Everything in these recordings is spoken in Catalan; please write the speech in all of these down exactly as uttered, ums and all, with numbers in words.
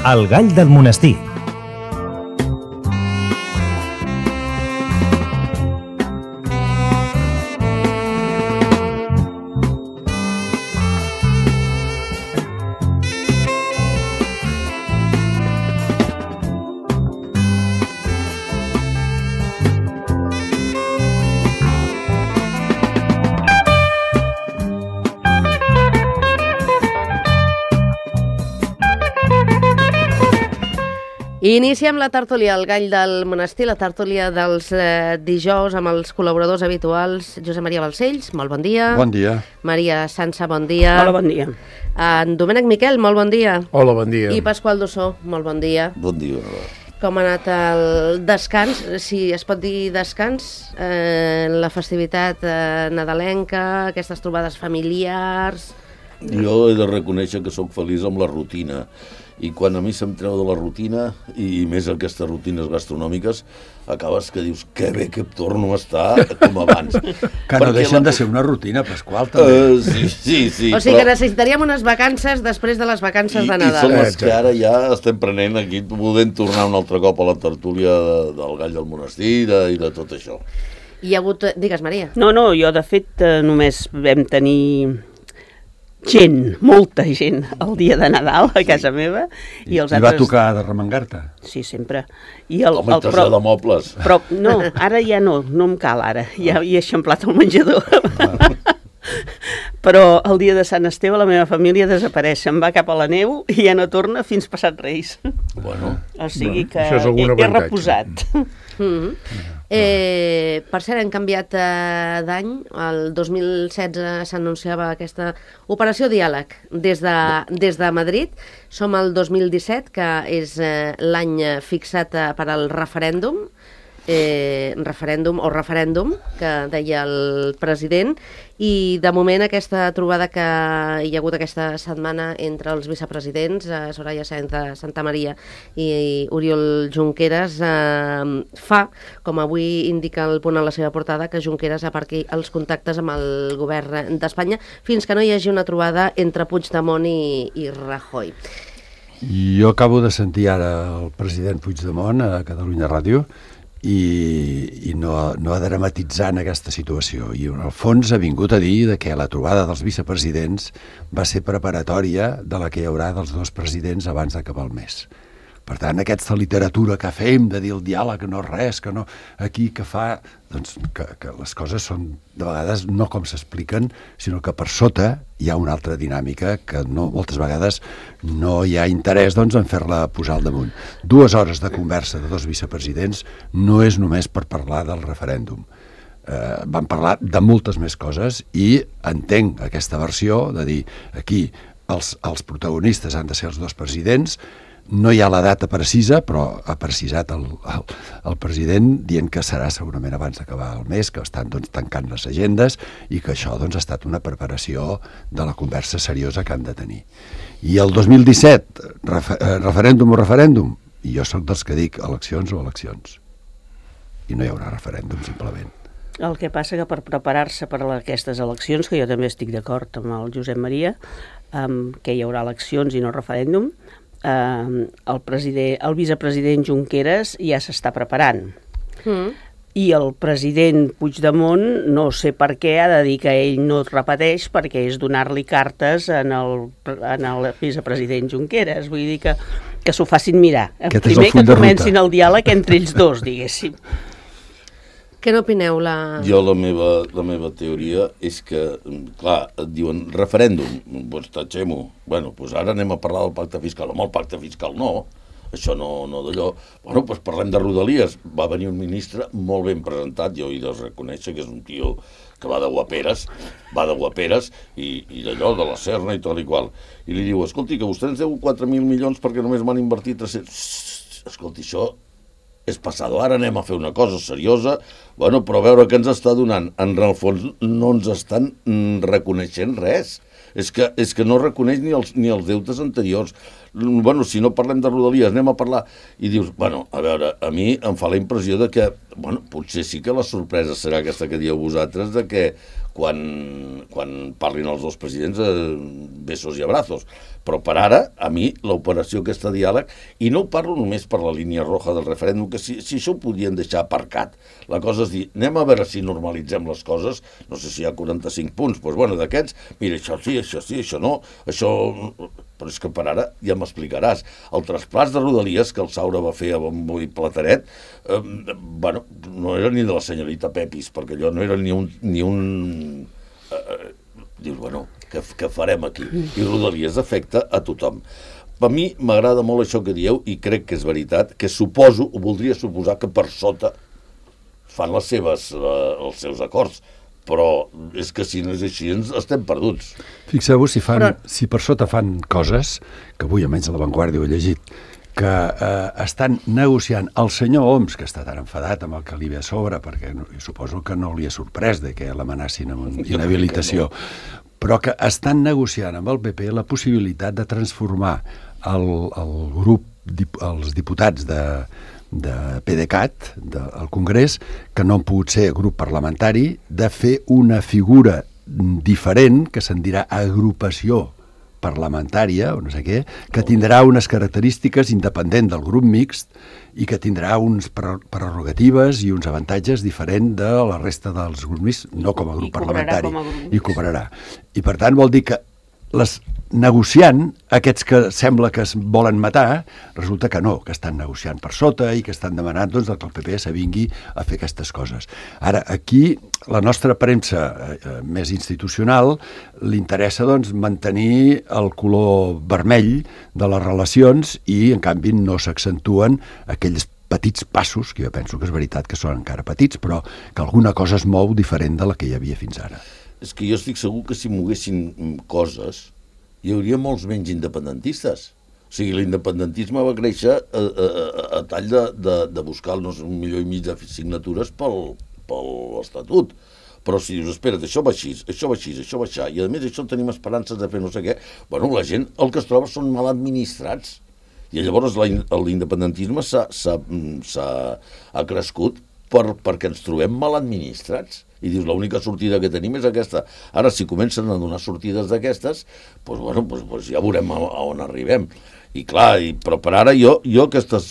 El gall del monestir. I iniciem la tertúlia, el gall del monestir, la tertúlia dels eh, dijous amb els col·laboradors habituals. Josep Maria Balcells, molt bon dia. Bon dia. Maria Sansa, bon dia. Hola, bon dia. En Domènec Miquel, molt bon dia. Hola, bon dia. I Pasqual Dossó, molt bon dia. Bon dia. Com ha anat el descans, si es pot dir descans, eh, la festivitat eh, nadalenca, aquestes trobades familiars... Jo he de reconèixer que sóc feliç amb la rutina, i quan a mi se'm treu de la rutina, i més aquestes rutines gastronòmiques, acabes que dius, que bé que torno a estar com abans. Que no deixen la... de ser una rutina, Pasqual, també. Uh, sí, sí, sí. O sigui però... que necessitaríem unes vacances després de les vacances I, de Nadal. I són les que ara ja estem prenent aquí, podent tornar un altre cop a la tertúlia de, del gall del monestir de, i de tot això. Hi ha hagut... Digues, Maria. No, no, jo de fet només vam tenir... gent, molta gent, el dia de Nadal a casa meva. I, I, els i altres... va tocar de remengar-te? Sí, sempre. I el, Home, el, però... de mobles. Però no, ara ja no, no em cal ara, ja hi he eixamplat el menjador. Ah. Però el dia de Sant Esteve la meva família desapareix, se'n va cap a la neu i ja no torna fins passat Reis. Bueno, o sigui bueno, que he, he reposat. Mm-hmm. Eh, per cert, hem canviat eh, d'any. El dos mil setze s'anunciava aquesta operació Diàleg des de, des de Madrid. Som al dos mil disset, que és eh, l'any fixat eh, per al referèndum, eh, referèndum o referèndum, que deia el president, i de moment aquesta trobada que hi ha hagut aquesta setmana entre els vicepresidents, eh, Soraya Sáenz de Santamaría i Oriol Junqueras, eh, fa, com avui indica el punt a la seva portada, que Junqueras aparqui els contactes amb el govern d'Espanya fins que no hi hagi una trobada entre Puigdemont i, i Rajoy. Jo acabo de sentir ara el president Puigdemont a Catalunya Ràdio i, i no, no ha dramatitzat en aquesta situació, i en el fons ha vingut a dir que la trobada dels vicepresidents va ser preparatòria de la que hi haurà dels dos presidents abans d'acabar el mes. Per tant, aquesta literatura que fem de dir el diàleg no és res, que no, aquí que fa, doncs que, que les coses són de vegades no com s'expliquen, sinó que per sota hi ha una altra dinàmica que no, moltes vegades no hi ha interès doncs, en fer-la posar al damunt. Dues hores de conversa de dos vicepresidents no és només per parlar del referèndum. Eh, van parlar de moltes més coses i entenc aquesta versió de dir aquí els, els protagonistes han de ser els dos presidents. No hi ha la data precisa, però ha precisat el, el, el president dient que serà segurament abans d'acabar el mes, que estan doncs, tancant les agendes i que això doncs, ha estat una preparació de la conversa seriosa que han de tenir. I el dos mil disset, refer, referèndum o referèndum, i jo sóc dels que dic eleccions o eleccions. I no hi haurà referèndum, simplement. El que passa que per preparar-se per a aquestes eleccions, que jo també estic d'acord amb el Josep Maria, um, que hi haurà eleccions i no referèndum, Uh, el, president, el vicepresident Junqueras ja s'està preparant mm. i el president Puigdemont no sé per què ha de dir que ell no es repeteix, perquè és donar-li cartes en el, en el vicepresident Junqueras, vull dir que, que s'ho facin mirar. Aquest primer que comencin el diàleg entre ells dos, diguéssim. Què n'opineu? La... Jo la meva, la meva teoria és que, clar, et diuen referèndum, doncs tatxem-ho. Bueno, doncs ara anem a parlar del pacte fiscal. Home, el pacte fiscal no, això no, no d'allò. Bueno, doncs parlem de Rodalies. Va venir un ministre molt ben presentat, jo he de reconèixer que és un tio que va de guaperes, va de guaperes i, i d'allò, de la Serna i tal i qual. I li diu, escolti, que vostè ens deu quatre mil milions perquè només m'han invertit tres-cents... Escolti, això és passado, ara anem a fer una cosa seriosa, bueno, però a veure què ens està donant. En el fons no ens estan reconeixent res. És que, és que no reconeix ni els, ni els deutes anteriors. Bueno, si no parlem de Rodalies, anem a parlar... I dius, bueno, a veure, a mi em fa la impressió de que, bueno, potser sí que la sorpresa serà aquesta que dieu vosaltres, de que quan, quan parlin els dos presidents eh, besos i abrazos. Però per ara, a mi, l'operació aquesta diàleg, i no ho parlo només per la línia roja del referèndum, que si, si això ho podien deixar aparcat. La cosa és dir, anem a veure si normalitzem les coses, no sé si hi ha quaranta-cinc punts, doncs bueno, d'aquests, mira, això sí, això sí, això no, això... Però és que per ara ja m'explicaràs. El traspàs de Rodalies que el Saura va fer a bombo i plateret, eh, bueno, no era ni de la senyorita Pepis, perquè allò no era ni un... Ni un eh, dius, bueno, què, què farem aquí? I Rodalies afecta a tothom. Per mi m'agrada molt això que dieu i crec que és veritat, que suposo, o voldria suposar que per sota fan les seves, eh, els seus acords, però és que si no és així ens estem perduts. Fixeu-vos si, fan, però... si per sota fan coses, que avui almenys a La Vanguardia ho he llegit, que eh, estan negociant el senyor Homs, que està tan enfadat amb el que li ve a sobre, perquè no, suposo que no li ha sorprès de que l'amenacin amb inhabilitació, no. Però que estan negociant amb el P P la possibilitat de transformar el, el grup, els diputats de... de PDeCAT, del Congrés, que no han pogut ser grup parlamentari, de fer una figura diferent, que se'n dirà agrupació parlamentària, o no sé què, que tindrà unes característiques independent del grup mixt i que tindrà uns prerrogatives i uns avantatges diferents de la resta dels grups mixts, no com a grup parlamentari. I cobrarà. I per tant vol dir que les negociant, aquests que sembla que es volen matar, resulta que no, que estan negociant per sota i que estan demanant doncs, que el P P s'avingui a fer aquestes coses. Ara, aquí, la nostra premsa eh, més institucional li interessa doncs, mantenir el color vermell de les relacions i, en canvi, no s'accentuen aquells petits passos, que jo penso que és veritat que són encara petits, però que alguna cosa es mou diferent de la que hi havia fins ara. És que jo estic segur que si moguessin coses hi hauria molts menys independentistes. O sigui, l'independentisme va créixer a, a, a tall de, de, de buscar no sé, un milió i mig de signatures pel, pel Estatut. Però si dius, espera't, això va així, això va així, això va així, i a més això tenim esperances de fer no sé què, bueno, la gent el que es troba són mal administrats. I llavors l'independentisme s'ha crescut per, perquè ens trobem mal administrats. I dius, l'única sortida que tenim és aquesta. Ara, si comencen a donar sortides d'aquestes, doncs, bueno, doncs, doncs ja veurem a, a on arribem. I clar, i, però per ara jo, jo aquestes,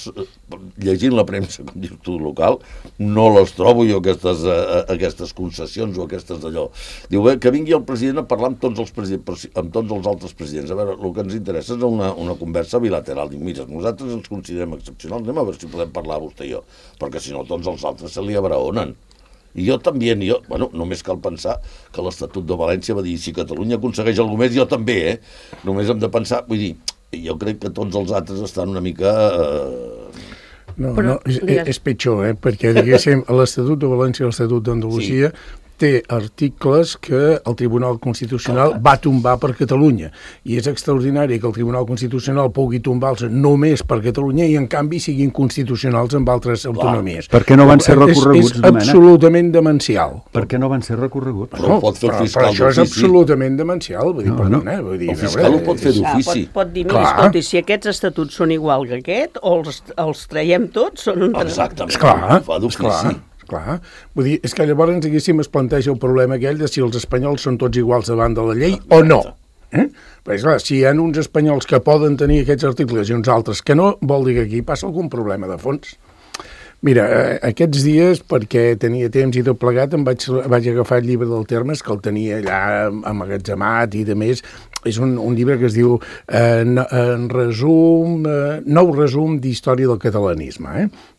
llegint la premsa, com dius tu, local, no les trobo jo aquestes, uh, aquestes concessions o aquestes d'allò. Diu, bé, que vingui el president a parlar amb tots els, presidents, amb tots els altres presidents. A veure, el que ens interessa és una, una conversa bilateral. Diu, mira, nosaltres ens considerem excepcionals, anem a veure si podem parlar vostè i jo, perquè si no tots els altres se li abraonen. I jo també, jo, bueno, només cal pensar que l'Estatut de València va dir si Catalunya aconsegueix alguna més, jo també, eh? Només hem de pensar, vull dir, jo crec que tots els altres estan una mica... Eh... No, Però, no, és, és pitjor, eh? Perquè, diguéssim, l'Estatut de València i l'Estatut d'Andalusia sí. té articles que el Tribunal Constitucional va tombar per Catalunya. I és extraordinari que el Tribunal Constitucional pugui tombar-los només per Catalunya i, en canvi, siguin constitucionals amb altres Clar. autonomies. Per què no van ser recorreguts, És, és absolutament demencial. Per què no van ser recorreguts? Però, no, pot fer però, però això és absolutament demencial. Vull dir, no, perdona, no. Vull dir, el fiscal veure, ho pot fer d'ofici. Pot, pot dir, mira, escolti, si aquests estatuts són igual que aquest, o els, els traiem tots, són un... Exactament, esclar, fa d'ofici. Clar, vull dir, és que llavors, diguéssim, es planteja el problema aquell de si els espanyols són tots iguals davant de la llei o no. Eh? Perquè, clar, si hi ha uns espanyols que poden tenir aquests articles i uns altres que no, vol dir que aquí passa algun problema de fons. Mira, eh, aquests dies, perquè tenia temps i tot plegat, em vaig, vaig agafar el llibre del Termes, que el tenia allà amagatzemat i de més. És un, un llibre que es diu eh, en resum, eh, nou resum d'història del catalanisme, eh?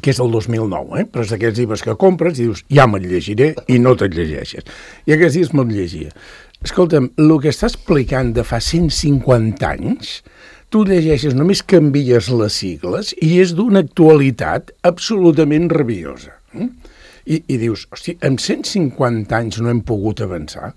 que és del dos mil nou, eh? Però és d'aquests llibres que compres i dius, ja me'l llegiré, i no te'l llegeixes. I aquests dies me'l llegia. Escolta'm, el que està explicant de fa cent cinquanta anys, tu llegeixes, només canvies les sigles i és d'una actualitat absolutament rabiosa. Eh? I, i dius, hosti, en cent cinquanta anys no hem pogut avançar?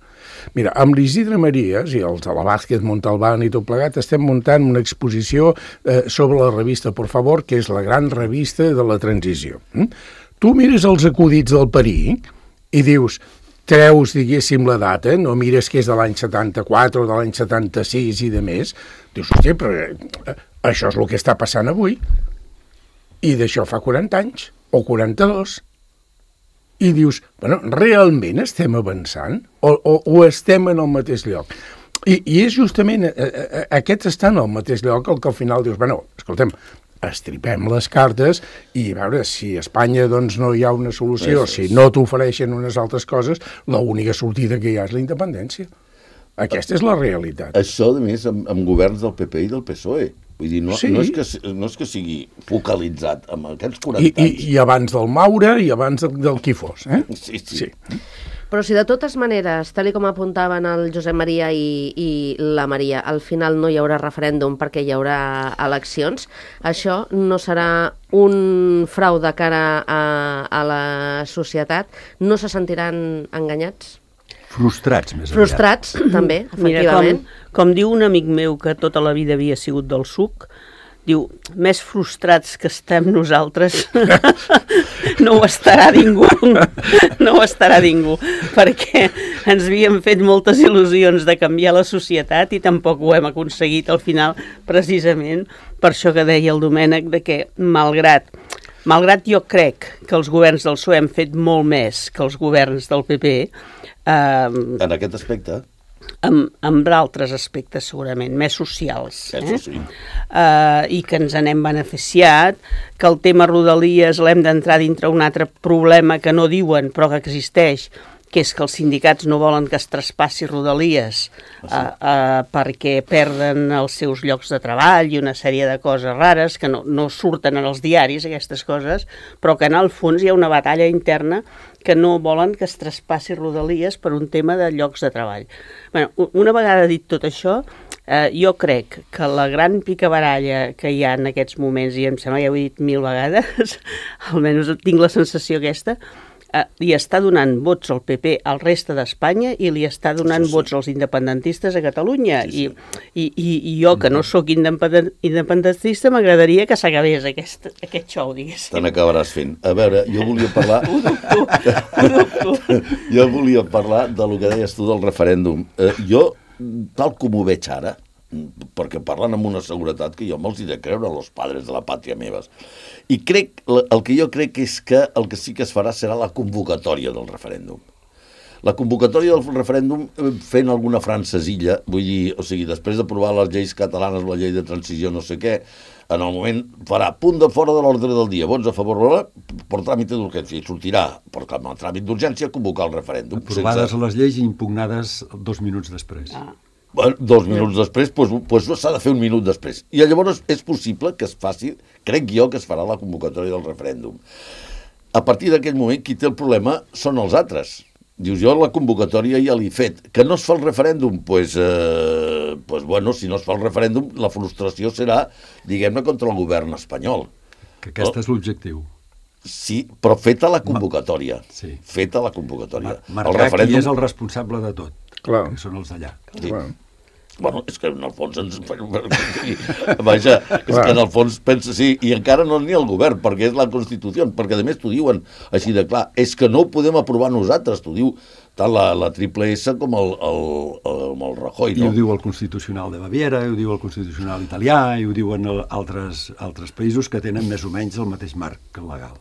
Mira, amb l'Isidre Marías i els de la Vázquez Montalbán i tot plegat estem muntant una exposició eh, sobre la revista Por Favor, que és la gran revista de la transició. Mm? Tu mires els acudits del Peric i dius, treus, diguéssim, la data, no mires que és de l'any setanta-quatre o de l'any setanta-sis i de més, dius, hosti, però eh, això és el que està passant avui. I d'això fa quaranta anys, o quaranta-dos. I dius, bueno, realment estem avançant o, o, o estem en el mateix lloc? I, i és justament, eh, eh, aquests estan al mateix lloc, el que al final dius, bueno, escoltem, estripem les cartes i a veure si a Espanya doncs, no hi ha una solució, sí, sí. si no t'ofereixen unes altres coses, l'única sortida que hi ha és la independència. Aquesta és la realitat. Això, a més, amb, amb governs del P P i del P S O E. Vull dir, no, sí. no, és que, no és que sigui focalitzat amb aquests quaranta I, anys. I, i abans del Maura i abans del, del qui fos. Eh? Sí, sí. sí. Però si de totes maneres, tal com apuntaven el Josep Maria i, i la Maria, al final no hi haurà referèndum perquè hi haurà eleccions, això no serà un frau de cara a, a la societat? No se sentiran enganyats? Frustrats, més Frustrats, aviat. també, efectivament. Mira, com, com diu un amic meu que tota la vida havia sigut del suc, diu, més frustrats que estem nosaltres no ho estarà ningú, no ho estarà ningú, perquè ens havíem fet moltes il·lusions de canviar la societat i tampoc ho hem aconseguit al final, precisament per això que deia el Domènec, de que malgrat, malgrat jo crec que els governs del P S O E han fet molt més que els governs del P P, eh, en aquest aspecte... amb, amb altres aspectes segurament, més socials. Eh? Això sí. Uh, I que ens n'hem beneficiat, que el tema Rodalies l'hem d'entrar dintre un altre problema que no diuen però que existeix, que és que els sindicats no volen que es traspassi Rodalies uh, uh, perquè perden els seus llocs de treball i una sèrie de coses rares que no, no surten en els diaris, aquestes coses, però que en el fons hi ha una batalla interna que no volen que es traspassi Rodalies per un tema de llocs de treball. Bueno, una vegada dit tot això, eh, jo crec que la gran picabaralla que hi ha en aquests moments, i em sembla que ja ho he dit mil vegades, almenys tinc la sensació aquesta, Uh, li està donant vots al P P al reste d'Espanya i li està donant sí, sí. vots als independentistes a Catalunya. Sí, sí. I, i, I jo, que no sóc independentista, m'agradaria que s'acabés aquest, aquest xou, diguéssim. Te n'acabaràs fent. A veure, jo volia parlar... Ho dubto, ho dubto. Jo volia parlar del que deies tu del referèndum. Uh, jo, tal com ho veig ara, perquè parlen amb una seguretat que jo me'ls he de creure, els padres de la pàtria meves. I crec, el que jo crec és que el que sí que es farà serà la convocatòria del referèndum. La convocatòria del referèndum fent alguna francesilla, vull dir, o sigui, després d'aprovar les lleis catalanes, la llei de transició, no sé què, en el moment farà punt de fora de l'ordre del dia, vots a favor, per tràmit d'urgència, i sortirà, per el tràmit d'urgència, convocar el referèndum. Aprovades sense... les lleis i impugnades dos minuts després. Ah. Bueno, dos minuts després, doncs, doncs s'ha de fer un minut després. I llavors és possible que es faci, crec jo que es farà la convocatòria del referèndum. A partir d'aquell moment, qui té el problema són els altres. Dius, jo la convocatòria ja l'he fet. Que no es fa el referèndum? Doncs, pues, eh, pues, bueno, si no es fa el referèndum, la frustració serà, diguem-ne, contra el govern espanyol. Que aquest no? és l'objectiu. Sí, però feta la convocatòria. Sí. Feta la convocatòria. Mar marcar el referèndum... qui és el responsable de tot. Clar. Que són els d'allà. Sí. Bueno, és que en el fons ens... Vaja, és que en el fons pensa, sí, i encara no ni el govern, perquè és la Constitució, perquè a més t'ho diuen així de clar, és que no ho podem aprovar nosaltres, t'ho diu tant la, la triple S com el, el, el, el Rajoy, no? I ho diu el Constitucional de Baviera, i ho diu el Constitucional italià, i ho diuen altres, altres països que tenen més o menys el mateix marc legal.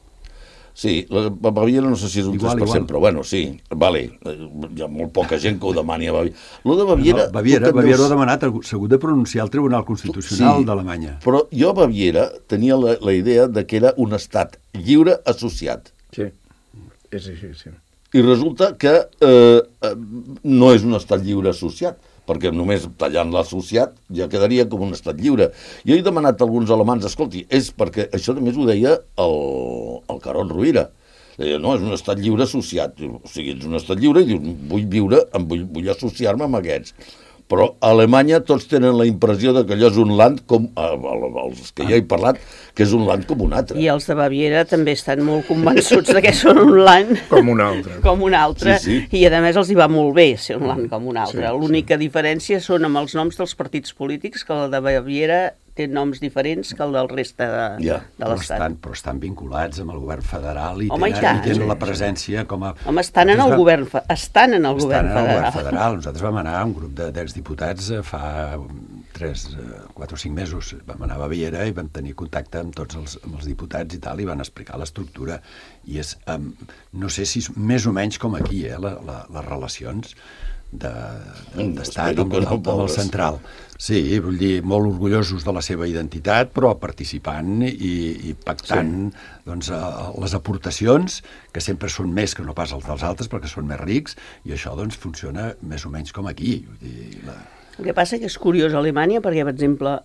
Sí, la Baviera no sé si és un igual, tres per cent, igual. Però bueno, sí, vale, hi ha molt poca gent que ho demani a Baviera. Lo de Baviera... No, Baviera, Baviera veus... ho ha demanat, s'ha hagut de pronunciar al Tribunal Constitucional sí, d'Alemanya. Però jo a Baviera tenia la, la idea de que era un estat lliure associat. Sí, és així, sí. I resulta que eh, no és un estat lliure associat, perquè només tallant l'associat ja quedaria com un estat lliure. Jo he demanat a alguns alemans, escolti, és perquè això només ho deia el, el Carod Rovira. Deia, no, és un estat lliure associat. O sigui, ets un estat lliure i dius, vull viure, vull, vull associar-me amb aquests. Però a Alemanya tots tenen la impressió de que allò és un land, com els que ja he parlat, que és un land com un altre. I els de Baviera també estan molt convençuts de que són un land com un altre. Com un altre, sí, sí. I a més els hi va molt bé ser un land com un altre. Sí, L'única sí. diferència són amb els noms dels partits polítics, que el de Baviera té noms diferents que el del reste de, ja. de l'Estat. Però estan, però estan vinculats amb el govern federal i Home, tenen, i tant, i tenen sí, la presència com a... Home, estan en el va... govern, estan en el estan govern en el federal. govern federal. Nosaltres vam anar, un grup d'exdiputats, fa tres, quatre o cinc mesos, vam anar a Baviera i vam tenir contacte amb tots els, amb els diputats i tal, i van explicar l'estructura. I és, um, no sé si és més o menys com aquí, eh, la, la, les relacions. d'estat amb, amb, amb el central. Sí, vull dir, molt orgullosos de la seva identitat, però participant i, i pactant sí. doncs, les aportacions, que sempre són més que no pas els dels altres, perquè són més rics, i això doncs, funciona més o menys com aquí. Vull dir, la... El que passa que és curiós a Alemanya, perquè, per exemple,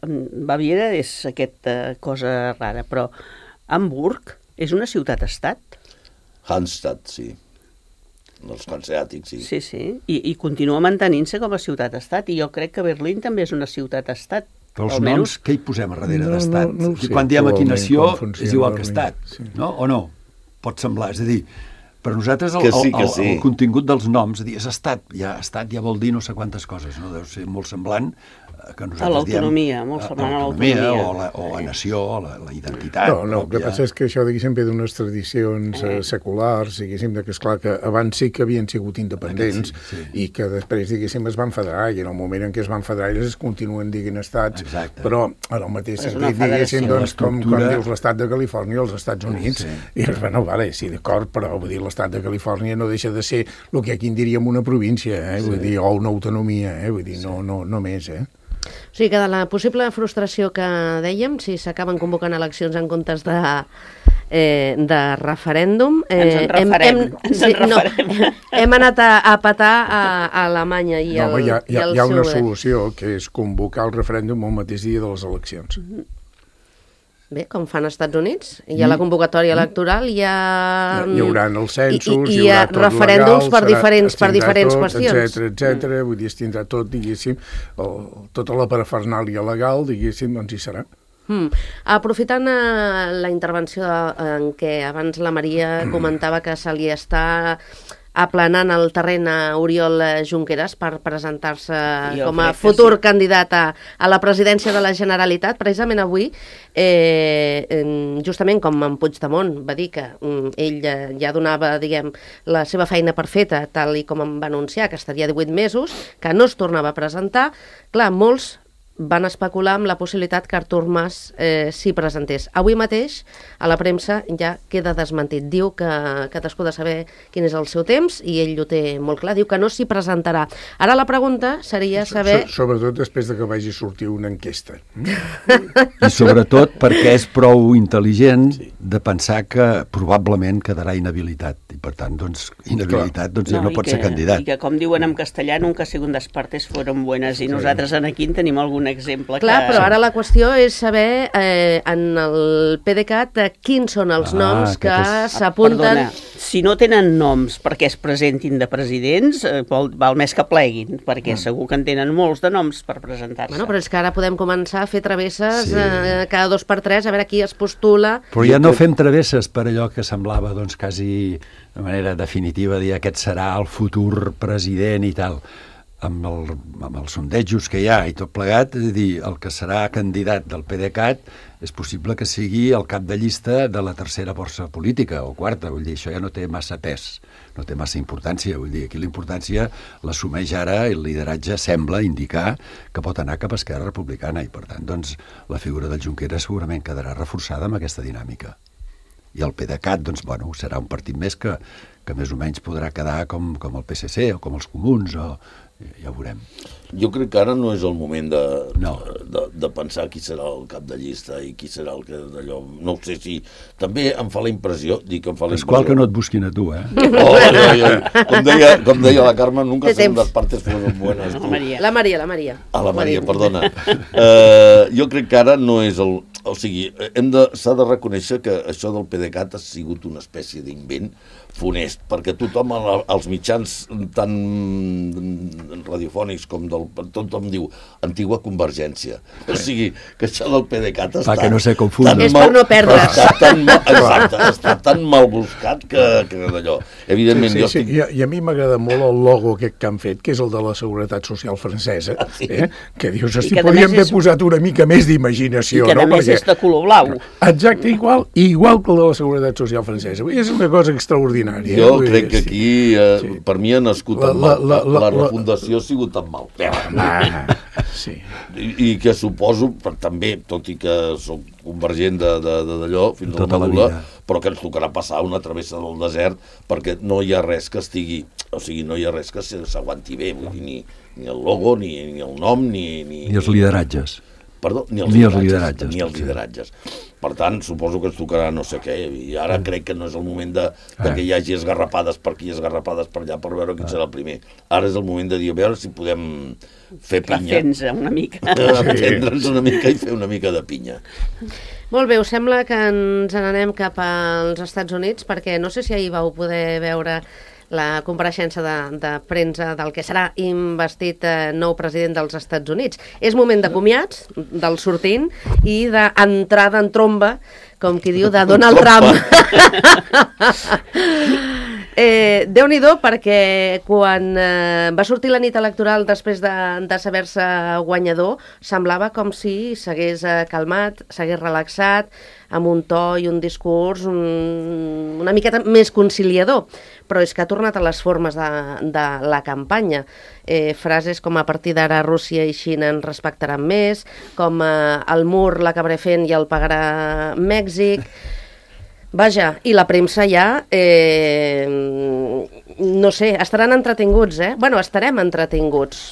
Baviera és aquesta cosa rara, però Hamburg és una ciutat-estat. Hansestadt, sí. Els hanseàtics, sí. Sí, sí, I, i continua mantenint-se com a ciutat-estat, i jo crec que Berlín també és una ciutat-estat. Però els noms, què hi posem a darrere no, d'estat? No, no sé, quan diem aquí nació, és igual que estat, sí. no? O no? Pot semblar, és a dir, per nosaltres el, sí, el, el, sí. el contingut dels noms, és, dir, és estat, ja estat ja vol dir no sé quantes coses, no? Deu ser molt semblant que nosaltres a l'autonomia, diem, molt semblant a l'autonomia. O, la, o la nació, o la, la identitat. No, no, el que passa és que això, diguéssim, ve d'unes tradicions eh, seculars, diguéssim, que esclar que abans sí que havien sigut independents sí, sí. i que després, diguéssim, es van federar, i en el moment en què es van federar ells es continuen dient estats, Exacte. però en el mateix és sentit, diguéssim, doncs, com, com dius l'estat de Califòrnia als Estats Units, sí. i dius, bueno, vale, sí, d'acord, però vull dir, l'estat de Califòrnia no deixa de ser el que aquí en diríem una província, eh? sí. vull dir, o una autonomia, eh? vull dir, no, no, no més, eh? O sigui que de la possible frustració que dèiem, si s'acaben convocant eleccions en comptes de, eh, de referèndum... Eh, ens en referem. Hem, hem, ens en sí, referem. No, hem anat a, a petar a, a Alemanya i no, el, hi ha, hi ha, i el hi ha una seu... solució, que és convocar el referèndum el mateix dia de les eleccions. Mm-hmm. Bé, com fan als Estats Units, hi ha la convocatòria electoral, hi ha... Hi haurà els censos, hi, hi, hi haurà tot referèndums legal, per diferents, per diferents tot, qüestions. Etcètera, etcètera, mm. vull dir, es tindrà tot, diguéssim, el, tota la parafernàlia legal, diguéssim, doncs hi serà. Mm. Aprofitant uh, la intervenció de, en què abans la Maria comentava que se li està aplanant el terreny a Oriol Junqueras per presentar-se com a futur sí. candidat a, a la presidència de la Generalitat. Precisament avui, eh, justament com en Puigdemont va dir que mm, ell ja donava, diguem, la seva feina per feta, tal i com em va anunciar, que estaria divuit mesos, que no es tornava a presentar, clar, molts van especular amb la possibilitat que Artur Mas eh, s'hi presentés. Avui mateix, a la premsa, ja queda desmentit. Diu que cadascú ha de saber quin és el seu temps i ell ho té molt clar. Diu que no s'hi presentarà. Ara la pregunta seria saber... So, sobretot després de que vagi a sortir una enquesta. I sobretot perquè és prou intel·ligent sí. de pensar que probablement quedarà inhabilitat. I per tant, doncs, inhabilitat doncs, no, ja no pot que, ser candidat. I que, com diuen en castellà, nunca segundas partes fueron buenas. I nosaltres en aquí en tenim algun exemple. Clar, que... però ara la qüestió és saber eh, en el PDeCAT eh, quins són els ah, noms que és... s'apunten... Ah, si no tenen noms perquè es presentin de presidents, eh, val, val més que pleguin, perquè mm. segur que en tenen molts de noms per presentar-se. Bueno, però és que ara podem començar a fer travesses sí. eh, cada dos per tres, a veure qui es postula. Però ja no fem travesses per allò que semblava doncs, quasi de manera definitiva dir aquest serà el futur president i tal. Amb, el, amb els sondejos que hi ha i tot plegat, és a dir, el que serà candidat del PDeCAT és possible que sigui el cap de llista de la tercera força política o quarta, vull dir, això ja no té massa pes, no té massa importància, vull dir, aquí la importància l'assumeix ara i el lideratge sembla indicar que pot anar cap a Esquerra Republicana i per tant, doncs, la figura del Junqueras segurament quedarà reforçada amb aquesta dinàmica. I el PDeCAT, doncs, bueno, serà un partit més que, que més o menys podrà quedar com, com el P S C o com els Comuns o ja ho veurem. Jo crec que ara no és el moment de, no. de, de pensar qui serà el cap de llista i qui serà el que d'allò... No ho sé si... També em fa la impressió... Dic que em fa la impressió... És qual que no et busquin a tu, eh? Oh, ja, ja. Com, deia, com deia la Carme, nunca són les partes fueron buenas. La Maria, la Maria. La Maria, ah, la Maria, perdona. Uh, jo crec que ara no és el... O sigui, hem de, s'ha de reconèixer que això del PDeCAT ha sigut una espècie d'invent funest, perquè tothom, als mitjans tan radiofònics com del... tothom diu antigua Convergència. O sigui, que això del PDeCAT està... que no se confunda. És per no perdre's. Està tan mal, exacte, està tan mal buscat que, que d'allò. Evidentment, sí, sí, jo estic... sí. I, I a mi m'agrada molt el logo aquest que han fet, que és el de la Seguretat Social francesa, sí. eh? que dius, si podríem haver és... posat una mica més d'imaginació. I que no? a més Perquè... és de color blau. Exacte, igual, igual que el de la Seguretat Social francesa. És una cosa extraordinària. Jo crec que aquí, eh, sí. per mi, ha nascut la, la, la, la, la refundació ha sigut tan mal. Ah, sí. I, I que suposo, però també, tot i que soc convergent d'allò fins a la medul·la, però que ens tocarà passar una travessa del desert perquè no hi ha res que estigui, o sigui, no hi ha res que s'aguanti bé, vull dir, ni, ni el logo, ni, ni el nom, ni... Ni, ni els lideratges. Perdó, ni els ni lideratges. Els lideratges ni els lideratges. Per tant, suposo que ens tocarà no sé què, i ara crec que no és el moment de, de que hi hagi esgarrapades per aquí, esgarrapades per allà, per veure quin serà el primer. Ara és el moment de dir, a veure si podem fer pinya. Refens una mica. Refendre'ns una mica i fer una mica de pinya. Molt bé, us sembla que ens n'anem cap als Estats Units, perquè no sé si ahir vau poder veure la compareixença de, de premsa del que serà investit eh, nou president dels Estats Units. És moment de comiats, del sortint, i d'entrada en tromba, com qui diu, de Donald Trump. eh, Déu-n'hi-do, perquè quan eh, va sortir la nit electoral després de, de saber-se guanyador, semblava com si s'hagués eh, calmat, s'hagués relaxat, amb un to i un discurs un, una miqueta més conciliador, però és que ha tornat a les formes de, de la campanya. Eh, frases com a partir d'ara Rússia i Xina ens respectaran més, com eh, el mur l'acabaré fent i el pagarà Mèxic. Vaja, i la premsa ja, eh, no sé, estaran entretinguts, eh? Bueno, estarem entretinguts.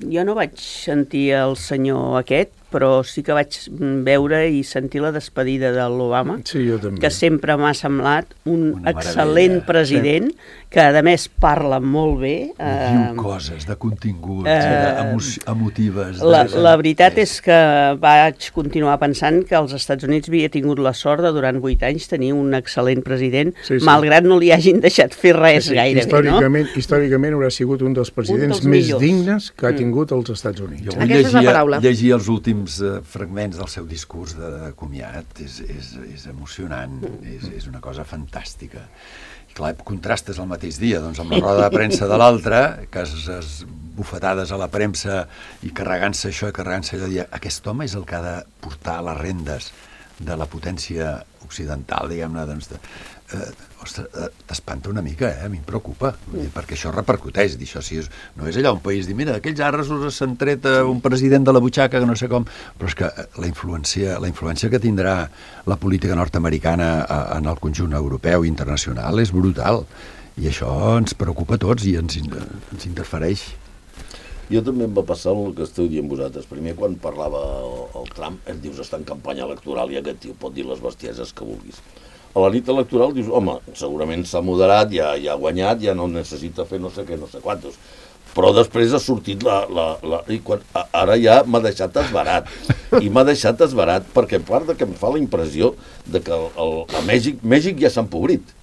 Jo no vaig sentir el senyor aquest, però sí que vaig veure i sentir la despedida de l'Obama, sí, jo també. Que sempre m'ha semblat un Una excel·lent meravella. president, sí. Que a més parla molt bé. Eh, Diu coses de continguts, eh, eh, emotives. La, de... la veritat és que vaig continuar pensant que els Estats Units havia tingut la sort de durant vuit anys tenir un excel·lent president, sí, sí. Malgrat no li hagin deixat fer res sí, sí. gairebé, històricament, no? Històricament haurà sigut un dels presidents dels més millors. dignes que ha Mm. tingut els Estats Units. Jo Aquesta vull és la llegir, paraula. llegir els últims uh, fragments del seu discurs de, de comiat, és, és, és emocionant, és, és una cosa fantàstica. I clar, contrastes el mateix dia, doncs amb la roda de premsa de l'altre, que es, es bufetades a la premsa i carregant-se això i carregant-se allò, dir, aquest home és el que ha de portar les rendes de la potència occidental, diguem-ne, doncs, de, eh, ostres, eh, t'espanta una mica, eh? A mi em preocupa, vull dir, perquè això repercuteix, dir, això sí, és, no és allà un país, dir, mira, aquells arresos s'han tret un president de la butxaca, que no sé com, però és que la influència, la influència que tindrà la política nord-americana en el conjunt europeu i internacional és brutal, i això ens preocupa a tots i ens, ens interfereix. Jo també em va passar el que esteu dient vosaltres. Primer, quan parlava el, el Trump, em dius, està en campanya electoral i aquest tio pot dir les bestieses que vulguis. A la nit electoral dius, home, segurament s'ha moderat, ja, ja ha guanyat, ja no necessita fer no sé què, no sé quantos. Però després ha sortit la... la, la i quan, ara ja m'ha deixat esbarat. I m'ha deixat esbarat perquè, a part de que em fa la impressió de que el, el, a Mèxic, Mèxic ja s'ha empobrit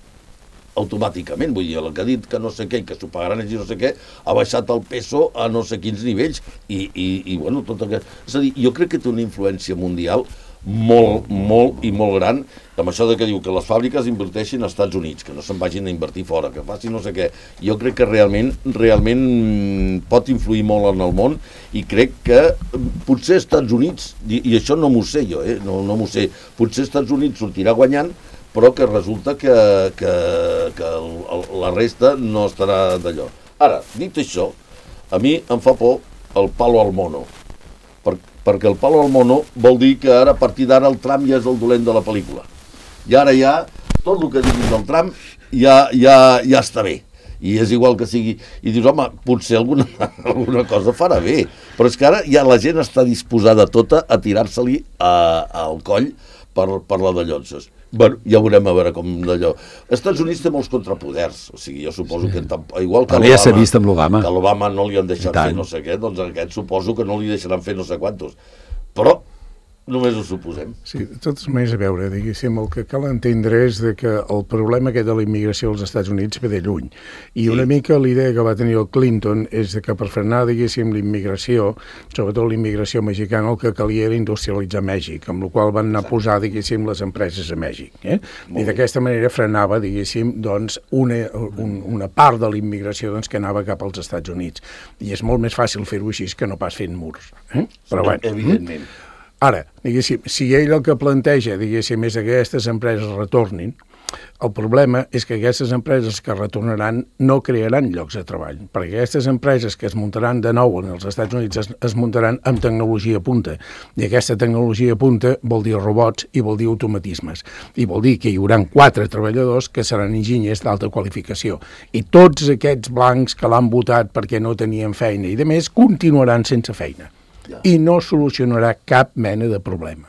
automàticament, vull dir, el que ha dit que no sé què i que s'ho pagaran ells i no sé què, ha baixat el peso a no sé quins nivells i, i, i bueno, tot aquest... És a dir, jo crec que té una influència mundial molt, molt i molt gran, amb això de que diu que les fàbriques inverteixin als Estats Units, que no se'n vagin a invertir fora, que facin no sé què. Jo crec que realment, realment pot influir molt en el món i crec que potser als Estats Units, i, i això no m'ho sé jo, eh? no, no m'ho sé, potser als Estats Units sortirà guanyant, però que resulta que, que, que el, el, la resta no estarà d'allò. Ara, dit això, a mi em fa por el palo al mono, per, perquè el palo al mono vol dir que ara, a partir d'ara, el Trump ja és el dolent de la pel·lícula. I ara ja, tot el que diguis del Trump ja, ja, ja està bé. I és igual que sigui... I dius, home, potser alguna, alguna cosa farà bé. Però és que ara ja la gent està disposada tota a tirar-se-li al coll per, per la de llonses. Bueno, ja veurem a veure com d'allò. Els Estats Units té molts contrapoders, o sigui, jo suposo que igual que l'Obama, ja s'ha vist amb l'Obama, que l'Obama no li han deixat fer no sé què, doncs aquest suposo que no li deixaran fer no sé quantos. Però només ho suposem. Sí, de totes maneres, a veure, diguéssim, el que cal entendre és de que el problema aquest de la immigració als Estats Units ve de lluny. I una sí. mica l'idea que va tenir el Clinton és de que per frenar, diguéssim, l'immigració, sobretot l'immigració mexicana, el que calia era industrialitzar Mèxic, amb la qual van anar a posar, diguéssim, les empreses a Mèxic. Eh? I d'aquesta manera frenava, diguéssim, doncs, una, un, una part de l'immigració doncs, que anava cap als Estats Units. I és molt més fàcil fer-ho així que no pas fent murs. Eh? Però, sí, bueno, evidentment. Ara, diguéssim, si ell el que planteja, diguéssim, és que aquestes empreses retornin, El problema és que aquestes empreses que retornaran no crearan llocs de treball, perquè aquestes empreses que es muntaran de nou en els Estats Units es, es muntaran amb tecnologia punta, i aquesta tecnologia punta vol dir robots i vol dir automatismes, i vol dir que hi haurà quatre treballadors que seran enginyers d'alta qualificació, i tots aquests blancs que l'han votat perquè no tenien feina i de més continuaran sense feina, ja. I no solucionarà cap mena de problema.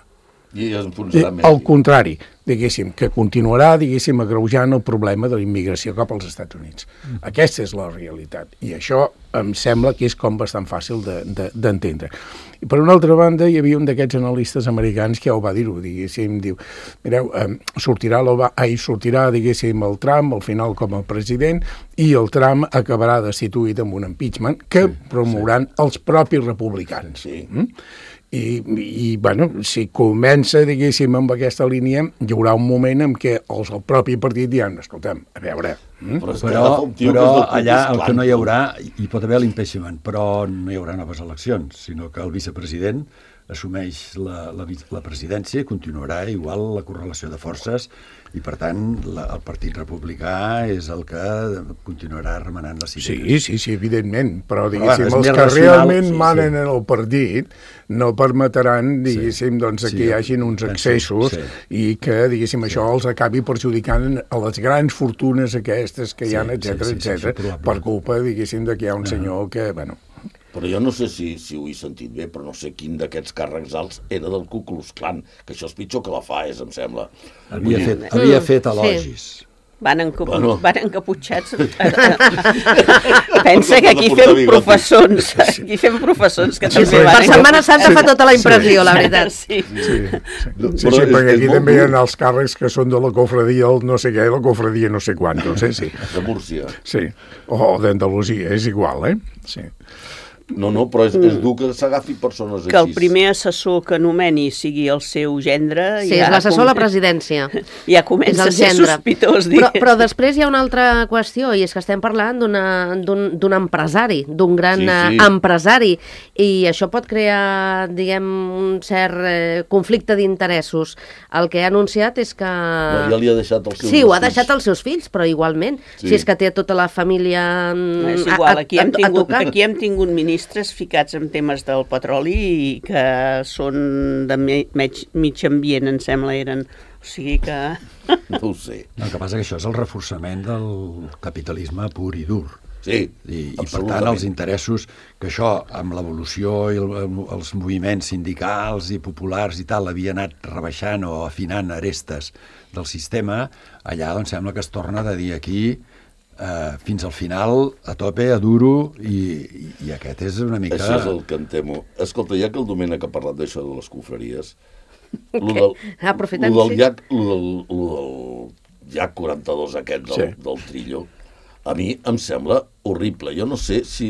I enfonsarà més. Al contrari, diguéssim, que continuarà, diguéssim, agreujant el problema de la immigració cap als Estats Units. Mm. Aquesta és la realitat, i això em sembla que és com bastant fàcil d'entendre. De, de, I per una altra banda, hi havia un d'aquests analistes americans que ja ho va dir-ho, diguéssim, diu, mireu, eh, sortirà, ai, sortirà, diguéssim, el Trump al final com a president, i el Trump acabarà destituït amb un impeachment que sí, promouran sí. els propis republicans. Sí. Mm? I, i bueno, si comença, diguéssim, amb aquesta línia, hi haurà un moment en què els, el propi partit diran, escolta'm, a veure... Mm? Però, però, però allà el que no hi haurà, hi pot haver l'impeachment, però no hi haurà noves eleccions, sinó que el vicepresident assumeix la, la, la presidència i continuarà igual la correlació de forces i, per tant, la, el Partit Republicà és el que continuarà remenant la cireres. Sí, sí, sí, evidentment, però, diguéssim, bueno, els que racional, realment sí, manen sí. en el partit no permetran, diguéssim, sí, doncs, sí, que hi hagin uns excessos sí. i que, diguéssim, sí. això els acabi perjudicant a les grans fortunes aquestes que hi ha, sí, etcètera, sí, sí, etcètera, sí, per culpa, diguéssim, de que hi ha un senyor que, bueno... Però jo no sé si, si ho he sentit bé, però no sé quin d'aquests càrrecs alts era del Ku Klux Klan, que això és pitjor que la F A E S, em sembla. Havia fet, havia fet elogis. Sí. Van, encapu bueno. van encaputxats. Pensa que aquí fem professons, aquí fem professons que sí, també sí. van... Per Setmana Santa sí. fa tota la impressió, sí. la veritat. Sí, sí, sí. sí, sí, sí perquè aquí també hi ha els càrrecs que són de la cofradia, el no sé què, la cofradia no sé quant, no sé, sí. De Múrcia. Sí, o d'Andalusia, és igual, eh? Sí. No, no, però és, és dur que s'agafi persones així. Que el primer assessor que nomeni sigui el seu gendre... Sí, ja és l'assessor com... a la presidència. Ja comença a ser sospitós. Però, però després hi ha una altra qüestió, i és que estem parlant d'un empresari, d'un gran sí, sí. empresari, i això pot crear, diguem, un cert eh, conflicte d'interessos. El que ha anunciat és que... No, ja li ha deixat els seus Sí, ho ha deixat als seus fills, però igualment, sí. si és que té tota la família no, és igual, aquí hem tingut, aquí hem tingut ministres ficats en temes del petroli i que són de mig, mig ambient, em sembla, eren. O sigui que... No ho sé. No, el que passa que això és el reforçament del capitalisme pur i dur. Sí, I, i per tant els interessos que això, amb l'evolució i el, els moviments sindicals i populars i tal, havia anat rebaixant o afinant arestes del sistema, allà doncs sembla que es torna de dir aquí Uh, fins al final, a tope, a duro, i, i, i aquest és una mica... Això és el que em temo. Escolta, ja que el Domènec ha parlat d'això de les confraries, okay. lo del, Aprofitant, lo del, sí. llac, lo del, lo del llac quaranta-dos aquest del, sí. del Trillo, a mi em sembla horrible. Jo no sé si...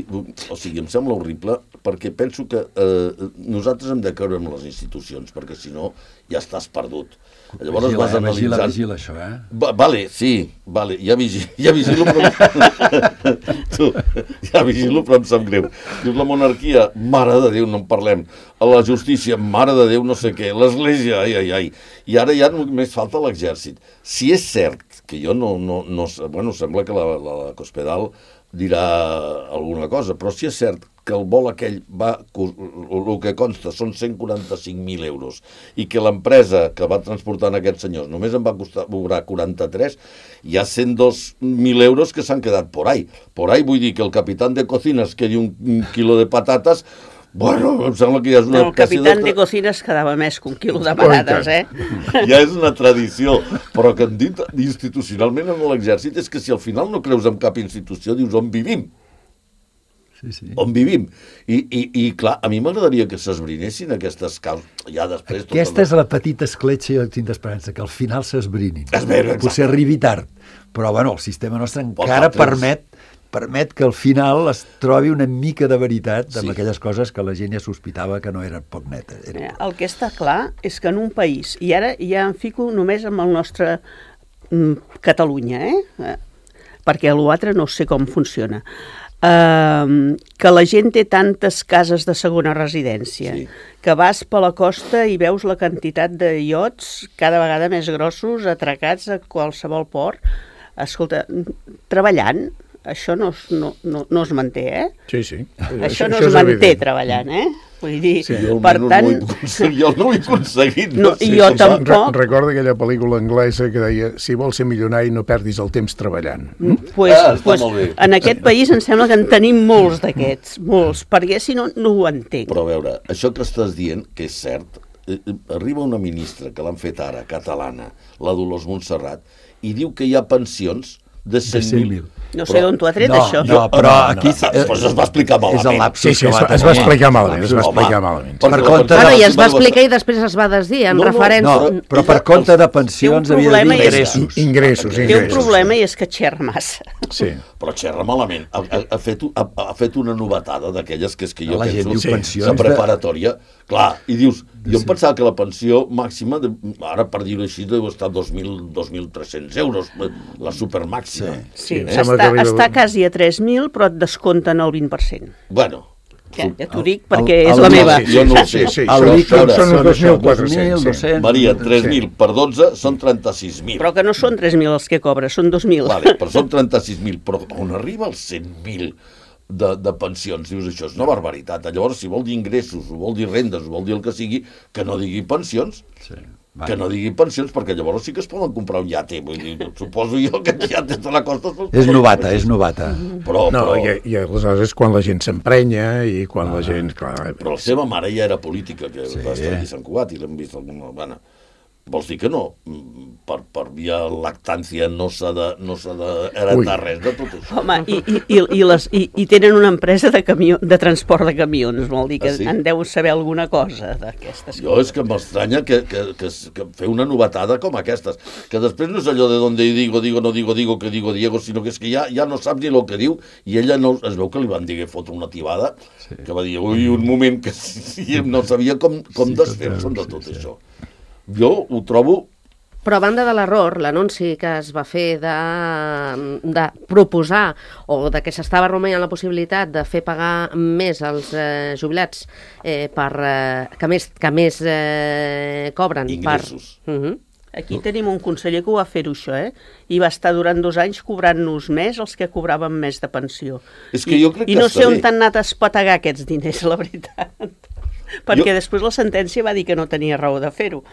O sigui, em sembla horrible perquè penso que eh, nosaltres hem de creure en les institucions, perquè si no ja estàs perdut. Llavors vigila, vas analitzant... vigila, vigila, això, eh? Va, vale, sí, vale, ja, vigilo, ja vigilo, però... tu, ja vigilo, però em sap greu. Dius, la monarquia, mare de Déu, no en parlem. A la justícia, mare de Déu, no sé què. L'església, ai, ai, ai. I ara ja només falta l'exèrcit. Si és cert, que jo no... no, no bueno, sembla que la, la Cospedal dirà alguna cosa, però si és cert que el vol aquell va, el que consta són cent quaranta-cinc mil euros i que l'empresa que va transportant aquests senyors només em va costar cobrar quaranta-tres, hi ha cent dos mil euros que s'han quedat por ahí. Por ahí vull dir que el capitán de cocina es quedi un, un quilo de patates. Bueno, em sembla que ja és una... No, el capitán de, de cocina es quedava més que un quilo de patates, eh? Ja és una tradició, però que han dit institucionalment en l'exèrcit és que si al final no creus en cap institució, dius on vivim. Sí, sí. On vivim. I, i, i clar, a mi m'agradaria que s'esbrinessin aquestes causes. Ja després... Aquesta és la petita escletxa, jo tinc d'esperança, que al final s'esbrinin. Veure, potser arribi tard, però bueno, el sistema nostre encara permet permet que al final es trobi una mica de veritat amb sí. aquelles coses que la gent ja sospitava que no eren poc netes. Era... El que està clar és que en un país, i ara ja em fico només amb el nostre mm, Catalunya, eh? perquè l'altre no sé com funciona. Uh, que la gent té tantes cases de segona residència, Sí. que vas per la costa i veus la quantitat de iots cada vegada més grossos atracats a qualsevol port. Escolta, treballant, això no es, no, no, no es manté, eh? Sí, sí. Això no es manté treballant, eh? Vull dir, Sí, Jo per almenys tant... no ho he aconseguit, jo no ho he aconseguit. No, sé i jo com va. tampoc. Re Recorda aquella pel·lícula anglesa que deia si vols ser milionari no perdis el temps treballant. Pues, Ah, està pues, molt bé. en aquest país em sembla que en tenim molts d'aquests, molts, perquè si no, no ho entenc. Però a veure, això que estàs dient, que és cert, eh, eh, arriba una ministra que l'han fet ara, catalana, la Dolors Montserrat, i diu que hi ha pensions de cent mil. No sé d'on t'ho ha tret, No, això. no, però aquí... Doncs es va explicar malament. És el lapsus Sí, sí, que es, va va- es va tenir. explicar malament, es va Home, explicar malament. perquè Per la compte pensió- Bueno, i es va Bueno, explicar i després es va desdir en No, no, referència... No, però per compte de pensions Té un havia de problema dir i és- ingressos. Ingressos, Té un ingressos. problema i és que xerra massa. Sí. Però xerra malament. Ha, ha, ha, fet, ha, ha fet una novetada d'aquelles que és que jo La gent penso... diu pensions la de- preparatòria. Clar, i dius, jo em pensava que la pensió màxima, de, ara per dir-ho així, deu estar dos mil tres-cents euros, la supermàxima. Sí, em sembla està, que arriba- està quasi a tres mil, però et descompten el vint per cent. Bueno, Ja, ja t'ho dic perquè el- és el- la el- meva. sí, jo no ho sé. Sí, sí, El són- líquid són- són uns això, dos mil quatre-cents, dos mil sí. dos-cents. Maria, tres mil per dotze són trenta-sis mil. Però que no són tres mil els que cobres, són dos mil. Vale, però són trenta-sis mil, però on arriba els cent mil de, de pensions? Dius, això és una barbaritat. Llavors, si vol dir ingressos, o vol dir rendes, o vol dir el que sigui, que no digui pensions, Sí. que no digui pensions, perquè llavors sí que es poden comprar un iate. Vull dir, suposo jo que els iates de la costa... se'ls És poden novata, comprar. és novata. Però, No, però, i, i aleshores és quan la gent s'emprenya i quan la gent... Clar, però la seva mare ja era política, que Sí. va estar aquí a Sant Cugat i l'hem vist alguna vegada. Vols dir que no? Per, per via lactància no s'ha de, no s'ha d'heretar res de tot això. Home, i, i, i, i, les, i, i tenen una empresa de, camió, de transport de camions, vol dir que Ah, sí? en deu saber alguna cosa d'aquestes Jo és que m'estranya que, que, que, que fer una novetada com aquestes, que després no és allò de donde digo, digo, no digo, digo, que digo Diego, sinó que és que ja, ja no sap ni el que diu, i ella no, es veu que li van dir que fotre una tibada, sí. que va dir, ui, un moment que sí, no sabia com, com sí, desfer-se'n de tot sí, això. Jo ho trobo... Però a banda de l'error, l'anunci que es va fer de, de proposar o de que s'estava rumiant la possibilitat de fer pagar més als eh, jubilats eh, per, eh, que més, que més eh, cobren. Ingressos. Per... Uh -huh. Aquí tenim un conseller que ho va fer-ho, això, eh? I va estar durant dos anys cobrant-nos més els que cobraven més de pensió. És que I, jo crec I que no està sé on bé. t'han anat a espetegar aquests diners, la veritat. Perquè Jo- després la sentència va dir que no tenia raó de fer-ho.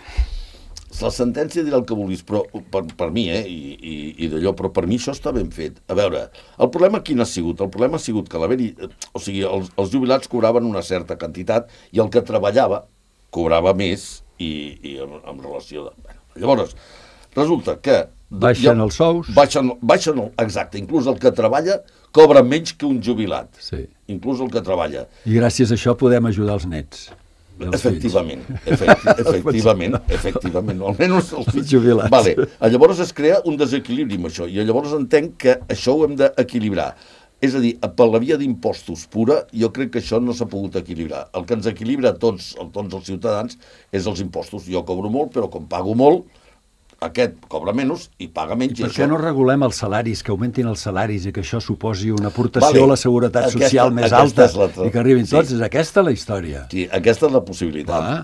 La sentència dirà el que vulguis, però per, per mi, eh, i, i, i d'allò, però per mi això està ben fet. A veure, el problema quin ha sigut? El problema ha sigut que l'haver-hi... O sigui, els, els jubilats cobraven una certa quantitat i el que treballava cobrava més i, i en, en relació de... Bueno, llavors, resulta que... Baixen ja, els sous. Baixen, baixen el, exacte, inclús el que treballa cobra menys que un jubilat. Sí. Inclús el que treballa. I gràcies a això podem ajudar els nets. i els Efectivament, efecti efectivament, efectivament, almenys els fills. Jubilats. Vale. Llavors es crea un desequilibri amb això, i llavors entenc que això ho hem d'equilibrar. És a dir, per la via d'impostos pura, jo crec que això no s'ha pogut equilibrar. El que ens equilibra a tots, a tots els ciutadans és els impostos. Jo cobro molt, però com pago molt, aquest cobra menys i paga menys. I per això... què no regulem els salaris, que augmentin els salaris i que això suposi una aportació Vale. a la seguretat Aquesta- social més aquesta alta és la- i que arribin sí. tots? És aquesta la història. Sí, aquesta és la possibilitat. Clar.